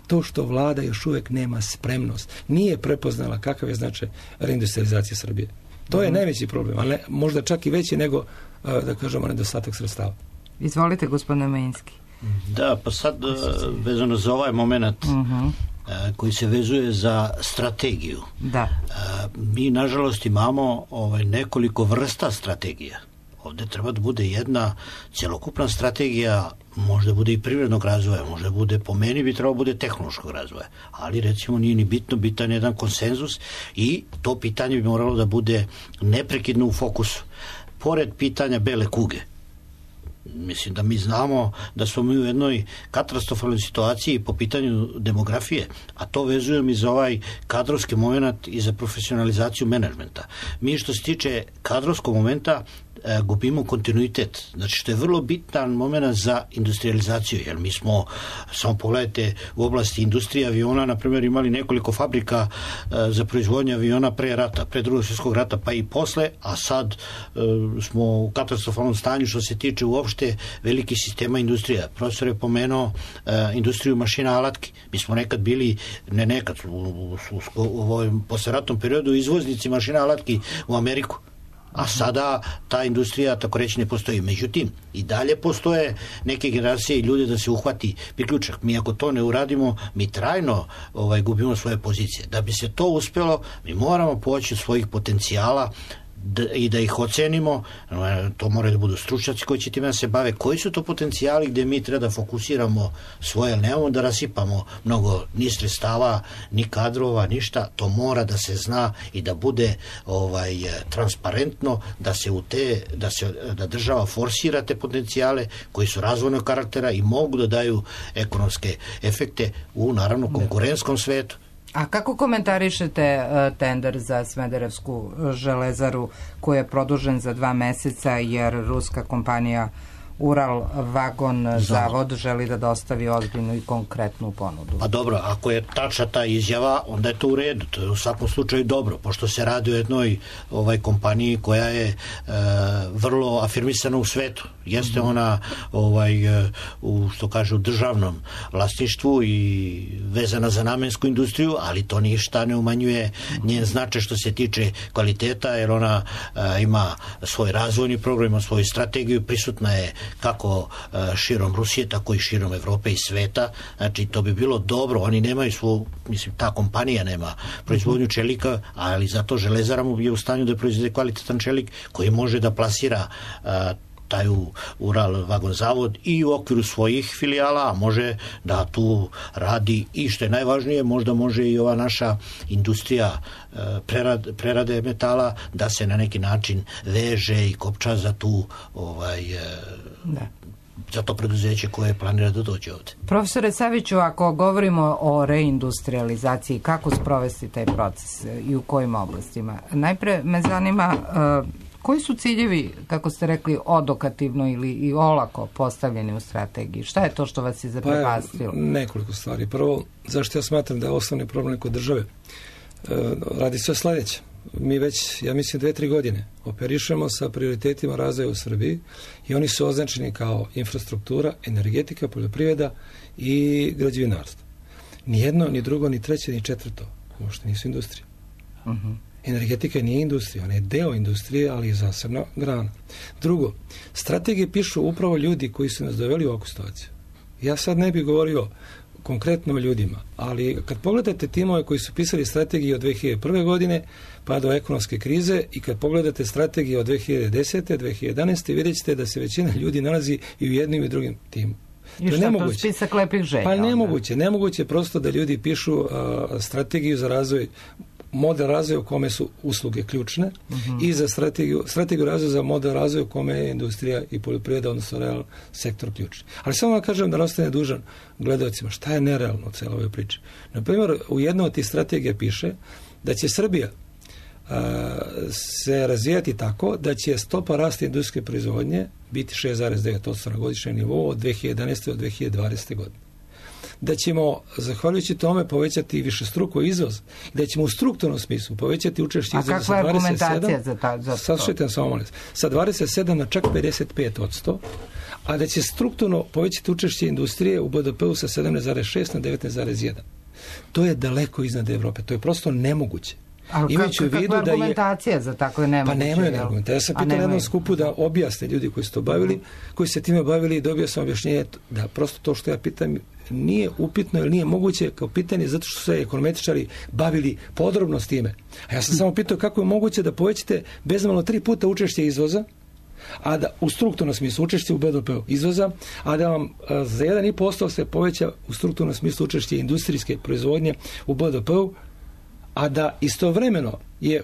to što vlada još uvijek nema spremnost. Nije prepoznala kakav je značaj reindustrializacije Srbije. To je najveći problem, ali možda čak i veći nego, da kažemo, nedostatak sredstava. Izvolite, gospodine Majinski. Da, pa sad vezano za ovaj moment koji se vezuje za strategiju. Da. Mi, nažalost, imamo nekoliko vrsta strategija. Ovdje treba da bude jedna cjelokupna strategija, možda bude i privrednog razvoja, možda bude, po meni bi trebalo bude tehnološkog razvoja, ali recimo nije ni bitno, bitan je jedan konsenzus i to pitanje bi moralo da bude neprekidno u fokusu. Pored pitanja bele kuge, mislim da mi znamo da smo mi u jednoj katastrofalnoj situaciji po pitanju demografije, a to vezujem i za ovaj kadrovski moment i za profesionalizaciju menadžmenta. Mi što se tiče kadrovskog momenta gubimo kontinuitet, znači što je vrlo bitan moment za industrializaciju, jer mi smo, samo pogledajte, u oblasti industrije aviona, na primjer, imali nekoliko fabrika za proizvodnju aviona pre rata, pre Drugog svjetskog rata, pa i posle, a sad smo u katastrofalnom stanju što se tiče uopšte velikih sistema industrija. Profesor je pomenuo industriju mašina alatki. Mi smo nekad bili, u ovom posleratnom periodu izvoznici mašina alatki u Ameriku. A sada ta industrija, tako reći, ne postoji. Međutim, i dalje postoje neke generacije i ljudi da se uhvati priključak. Mi ako to ne uradimo, mi trajno gubimo svoje pozicije. Da bi se to uspjelo, mi moramo poći od svojih potencijala i da ih ocenimo. To moraju da budu stručnjaci koji će time da se bave. Koji su to potencijali gdje mi treba da fokusiramo svoje, ali nemamo da rasipamo mnogo ni sredstava, ni kadrova, ništa. To mora da se zna i da bude transparentno, da se da država forsira te potencijale koji su razvojnog karaktera i mogu da daju ekonomske efekte u, naravno, konkurentskom svetu. A kako komentarišete tender za Smederevsku železaru koji je produžen za 2 meseca jer ruska kompanija Ural Vagon Zavod želi da dostavi ozbiljnu i konkretnu ponudu? Pa dobro, ako je tačna ta izjava, onda je to u redu. To je u svakom slučaju dobro, pošto se radi o jednoj kompaniji koja je vrlo afirmisana u svetu. Jeste ona u, što kaže, u državnom vlasništvu i vezana za namensku industriju, ali to ništa ne umanjuje njen značaj što se tiče kvaliteta, jer ona ima svoj razvojni program, ima svoju strategiju, prisutna je kako širom Rusije, tako i širom Evrope i sveta. Znači, to bi bilo dobro. Oni nemaju mislim, ta kompanija nema proizvodnju čelika, ali zato Železara mu je u stanju da proizvede kvalitetan čelik koji može da plasira taj Ural vagon zavod i u okviru svojih filijala, a može da tu radi i što je najvažnije, možda može i ova naša industrija prerade metala da se na neki način veže i kopča za tu za to preduzeće koje planira da dođe ovde. Profesore Saviću, ako govorimo o reindustrializaciji, kako sprovesti taj proces i u kojim oblastima? Najpre me zanima koji su ciljevi, kako ste rekli, odokativno ili i olako postavljeni u strategiji? Šta je to što vas je zaprepastilo? Nekoliko stvari. Prvo, zašto ja smatram da je osnovni problem kod države? Radi sve sledeće. Mi već, ja mislim, 2-3 godine operišemo sa prioritetima razvoja u Srbiji i oni su označeni kao infrastruktura, energetika, poljoprivreda i građevinarstvo. Ni jedno, ni drugo, ni treće, ni četvrto. Uopšte nisu industrije. Energetika nije industrija, ona je deo industrije, ali je zasebna grana. Drugo, strategije pišu upravo ljudi koji su nas doveli u ovakvu situaciju. Ja sad ne bih govorio konkretno o ljudima, ali kad pogledate timove koji su pisali strategije od 2001. godine pa do ekonomske krize i kad pogledate strategije od 2010. 2011. vidjet ćete da se većina ljudi nalazi i u jednim i drugim timu. I šta to spisak lepih želja? Pa nemoguće prosto da ljudi pišu strategiju za razvoj, model razvoja u kome su usluge ključne i za strategiju razvoja za model razvoja u kome je industrija i poljoprivreda, odnosno realni sektor ključni. Ali samo da kažem da ostane dužan gledalcima šta je nerealno u celoj ovoj priči. Naprimjer, u jednoj od tih strategija piše da će Srbija se razvijati tako da će stopa rasta industrijske proizvodnje biti 6,9% na godišnjem nivou od 2011. do 2020. godine. Da ćemo, zahvaljujući tome, povećati višestruko izvoz, da ćemo u strukturnom smislu povećati učešće izvoza sa 27%. A kakva je argumentacija za to? Sa 27 na čak 55%, a da će strukturno povećati učešće industrije u BDP-u sa 17,6 na 19,1. To je daleko iznad Evrope. To je prosto nemoguće. Ali kakva je argumentacija za tako nemoguće? Pa nemaju argumentacija. Ja sam pitao na jednom skupu da objasne ljudi koji su to bavili, koji se time bavili i dobio sam objašnjenje da prosto to što ja pitam nije upitno ili nije moguće kao pitanje zato što su se ekonometričari bavili podrobno s time. A ja sam samo pitao kako je moguće da povećate bezmalno 3 puta učešće izvoza, a da u strukturnom smislu učešće u BDP-u izvoza, a da vam za 1,5% se poveća u strukturnom smislu učešće industrijske proizvodnje u BDP-u, a da istovremeno je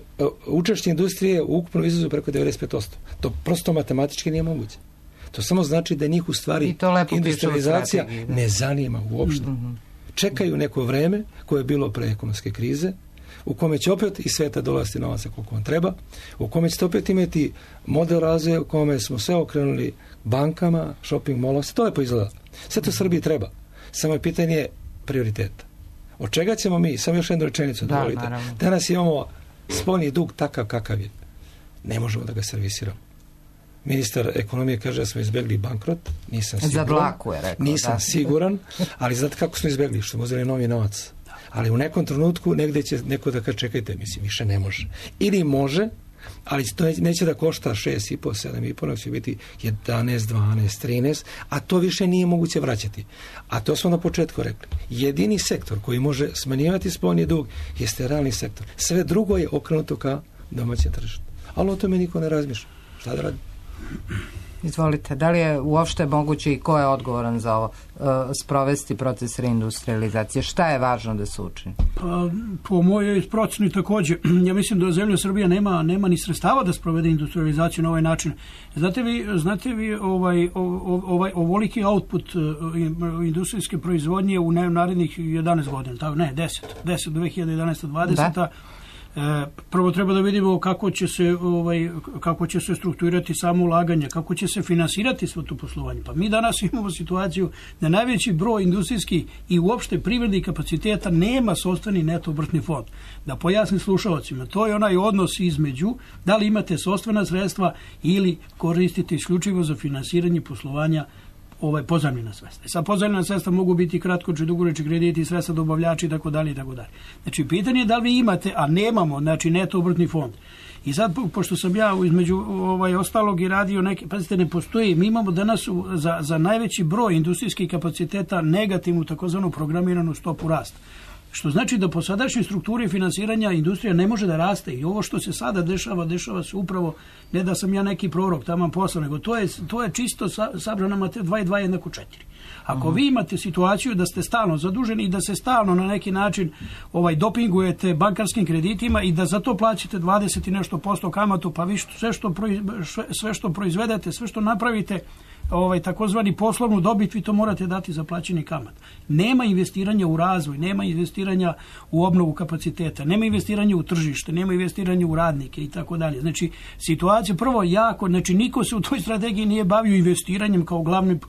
učešće industrije u ukupnom izvozu preko 95%. To prosto matematički nije moguće. To samo znači da njih u stvari industrializacija ne zanima uopšte. Čekaju neko vreme koje je bilo pre ekonomske krize, u kome će opet iz sveta dolaziti novaca koliko vam treba, u kome ćete opet imati model razvoja u kome smo sve okrenuli bankama, shopping mallom, sve to lepo izgleda. Sve to Srbiji treba. Samo je pitanje prioriteta. Od čega ćemo mi, samo još jednu rečenicu, dovolite. Danas imamo spoljni dug takav kakav je. Ne možemo da ga servisiramo. Ministar ekonomije kaže da smo izbjegli bankrot, nisam siguran. Za dlaku je rekao. Nisam siguran, ali znate kako smo izbjegli, što smo uzeli novi novac. Ali u nekom trenutku negdje će neko da kaže čekajte, mislim, više ne može. Ili može, ali to neće da košta 6,5, 7,5, nego će biti 11, 12, 13, a to više nije moguće vraćati. A to smo na početku rekli. Jedini sektor koji može smanjivati spoljni dug jeste realni sektor. Sve drugo je okrenuto ka domaćem tržištu. Ali o tome niko ne razmišlja. Šta da radi? Izvolite, da li je uopšte moguće i ko je odgovoran za ovo sprovesti proces reindustrializacije? Šta je važno da se učini? Pa, po mojoj proceni također. Ja mislim da zemlja Srbija nema ni sredstava da sprovede industrializaciju na ovaj način. Znate vi ovoliki output industrijske proizvodnje u narednih 11 godina, ne, 10 2011. 20. Prvo treba da vidimo kako će se strukturirati samo ulaganje, kako će se finansirati svo to poslovanje. Pa mi danas imamo situaciju da najveći broj industrijskih i uopšte privrednih kapaciteta nema sopstveni neto obrtni fond. Da pojasnim slušalcima, to je onaj odnos između da li imate sopstvena sredstva ili koristite isključivo za finansiranje poslovanja pozajmljena sredstva. Sad pozajmljena sredstva mogu biti kratkočni, dugoročni krediti, sredstva dobavljači i tako dalje i tako dalje. Znači pitanje je da li vi imate, a nemamo, znači neto obrtni fond. I sad, pošto sam ja između ostalog i radio neke, pazite, ne postoji, mi imamo danas za najveći broj industrijskih kapaciteta negativnu takozvanu programiranu stopu rasta. Što znači da po sadašnjoj strukturi finansiranja industrija ne može da raste i ovo što se sada dešava se upravo, ne da sam ja neki prorok taman posla, nego to je čisto sabrana materijal 2 i 2 jednako 4. Ako vi imate situaciju da ste stalno zaduženi i da se stalno na neki način dopingujete bankarskim kreditima i da za to plaćate 20 i nešto % kamatu, pa vi sve što proizvedete, sve što napravite, takozvani poslovnu dobit, vi to morate dati za plaćanje kamata. Nema investiranja u razvoj, nema investiranja u obnovu kapaciteta, nema investiranja u tržište, nema investiranja u radnike i tako dalje. Znači, situacija prvo jako, znači niko se u toj strategiji nije bavio investiranjem kao glavnim,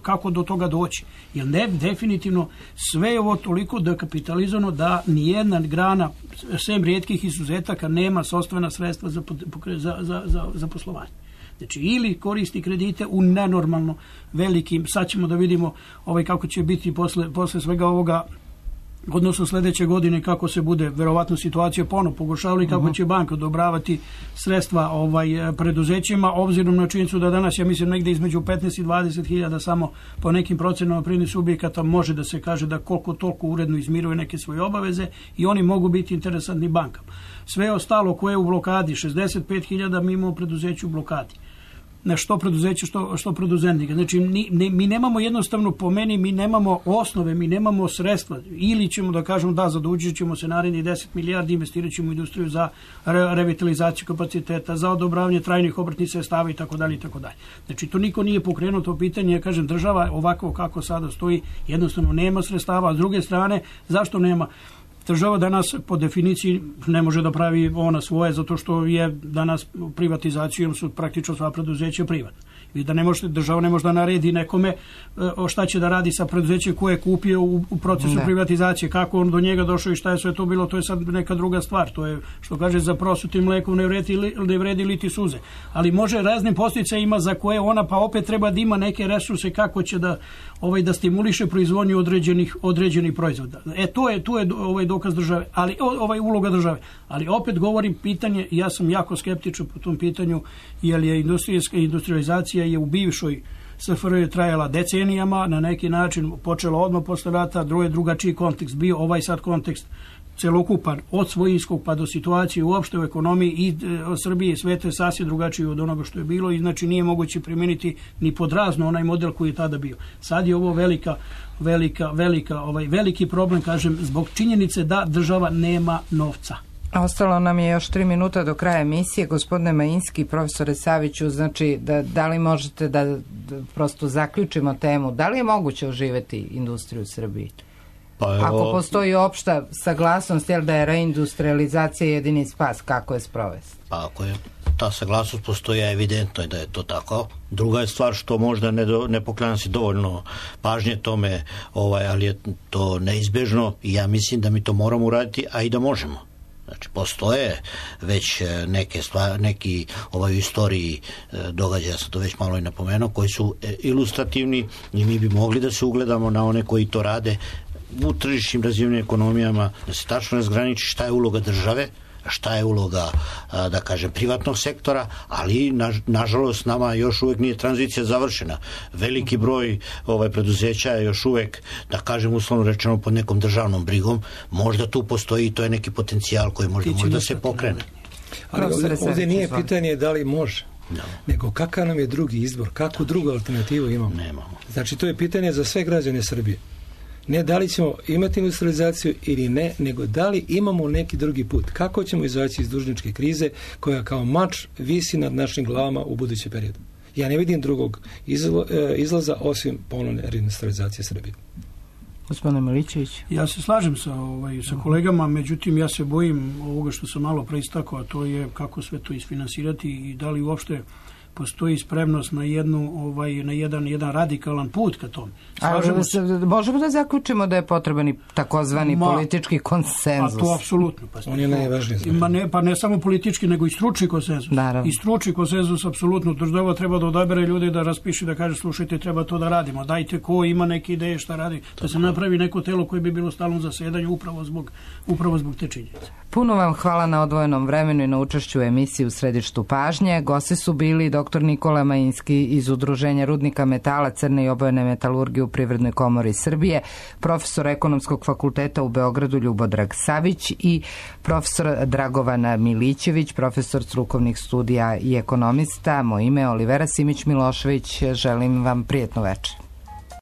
kako do toga doći. Jer definitivno sve je ovo toliko dekapitalizovano da nijedna grana, sem rijetkih izuzetaka, nema sopstvena sredstva za poslovanje. Znači, ili koristi kredite u nenormalno velikim, sad ćemo da vidimo kako će biti posle svega ovoga, odnosno sljedeće godine kako se bude verovatno situacija ponovo pogoršavala i kako će banka odobravati sredstva preduzećima, obzirom na činjenicu da danas, ja mislim, negdje između 15 i 20 hiljada samo po nekim procenama privrednih subjekata može da se kaže da koliko toliko uredno izmiruje neke svoje obaveze i oni mogu biti interesantni bankama. Sve ostalo koje je u blokadi, 65 hiljada mi imamo preduzeću u blokadi. Što preduzeće, što preduzetnika. Znači, mi nemamo jednostavno, po meni, mi nemamo osnove, mi nemamo sredstva. Ili ćemo da kažemo da zadužit ćemo se narednih 10 milijardi, investirat ćemo u industriju za revitalizaciju kapaciteta, za odobravanje trajnih obrtnih sredstava i tako dalje i tako dalje. Znači, to niko nije pokrenuo to pitanje, ja kažem, država ovako kako sada stoji, jednostavno nema sredstava, a s druge strane, zašto nema? Država danas po definiciji ne može da pravi ona svoje, zato što je danas privatizacijom su praktično sva preduzeća privatna. I da država ne može da naredi nekome šta će da radi sa preduzećem koje je kupio u procesu privatizacije, kako on do njega došao i šta je sve to bilo, to je sad neka druga stvar. To je, što kaže, za prosutim mlekom ne vredi liti suze. Ali može raznim posticajima za koje ona pa opet treba da ima neke resurse kako će da stimuliše proizvodnju određenih proizvoda. Tu je dokaz države, ali uloga države. Ali opet govorim pitanje, ja sam jako skeptičan po tom pitanju, jer je industrializacija je u bivšoj SFRJ trajala decenijama, na neki način počela odmah posle rata, drugačiji kontekst bio, ovaj sad kontekst celokupan od svojinskog pa do situacije uopšte u ekonomiji i Srbije i sveta je sasvim drugačiji od onoga što je bilo i znači nije moguće primijeniti ni podrazno onaj model koji je tada bio. Sad je ovo veliki problem, kažem, zbog činjenice da država nema novca. Ostalo nam je još 3 minuta do kraja emisije. Gospodine Majinski, profesore Saviću, znači da li možete da prosto zaključimo temu, da li je moguće oživeti industriju u Srbiji? Ako postoji opšta saglasnost, jel da je reindustrializacija jedini spas, kako je sprovesti? Pa ako je ta saglasnost postoji, evidentno je da je to tako. Druga je stvar što možda ne poklanja se dovoljno pažnje tome, ali je to neizbežno i ja mislim da mi to moramo uraditi, a i da možemo. Znači, postoje već neki u istoriji događaja, sam to već malo i napomenuo, koji su ilustrativni i mi bi mogli da se ugledamo na one koji to rade u tržišnim razvijenim ekonomijama, da se tačno razgraniči šta je uloga države, šta je uloga, da kažem, privatnog sektora, ali nažalost nama još uvijek nije tranzicija završena. Veliki broj preduzeća je još uvijek, da kažem, uslovno rečeno pod nekom državnom brigom. Možda tu postoji i to je neki potencijal koji možda se pokrene. Ali ovdje nije pitanje da li može, nego kakav nam je drugi izbor, kakvu drugu alternativu imamo. Nemamo. Znači, to je pitanje za sve građane Srbije. Ne da li ćemo imati industrializaciju ili ne, nego da li imamo neki drugi put. Kako ćemo izaći iz dužničke krize koja kao mač visi nad našim glavama u budućem periodu. Ja ne vidim drugog izlaza osim ponovne reindustrializacije Srbije. Gospodine Milićević. Ja se slažem sa kolegama, međutim ja se bojim ovoga što sam malo preistakao, a to je kako sve to isfinansirati i da li uopšte postoji spremnost na jedan radikalan put ka tom. Možemo da zaključimo da je potreban i takozvani politički konsenzus. A to apsolutno. On je najvažniji. Pa ne samo politički, nego i stručni konsenzus. Naravno. I stručni konsenzus apsolutno. Država treba da odabere ljude, da raspiše, da kaže slušajte, treba to da radimo. Dajte ko ima neke ideje šta radi. Da se napravi neko telo koje bi bilo stalno zasedanju upravo zbog te činjenice. Puno vam hvala na odvojenom vremenu i na učešću u emisiji U središtu pažnje. Gosti su bili dr. Nikola Majinski iz Udruženja rudnika metala, crne i obojene metalurgije u Privrednoj komori Srbije, profesor Ekonomskog fakulteta u Beogradu Ljubodrag Savić i profesor Dragovan Milićević, profesor strukovnih studija i ekonomista. Moje ime je Olivera Simić Milošević. Želim vam prijetno večer.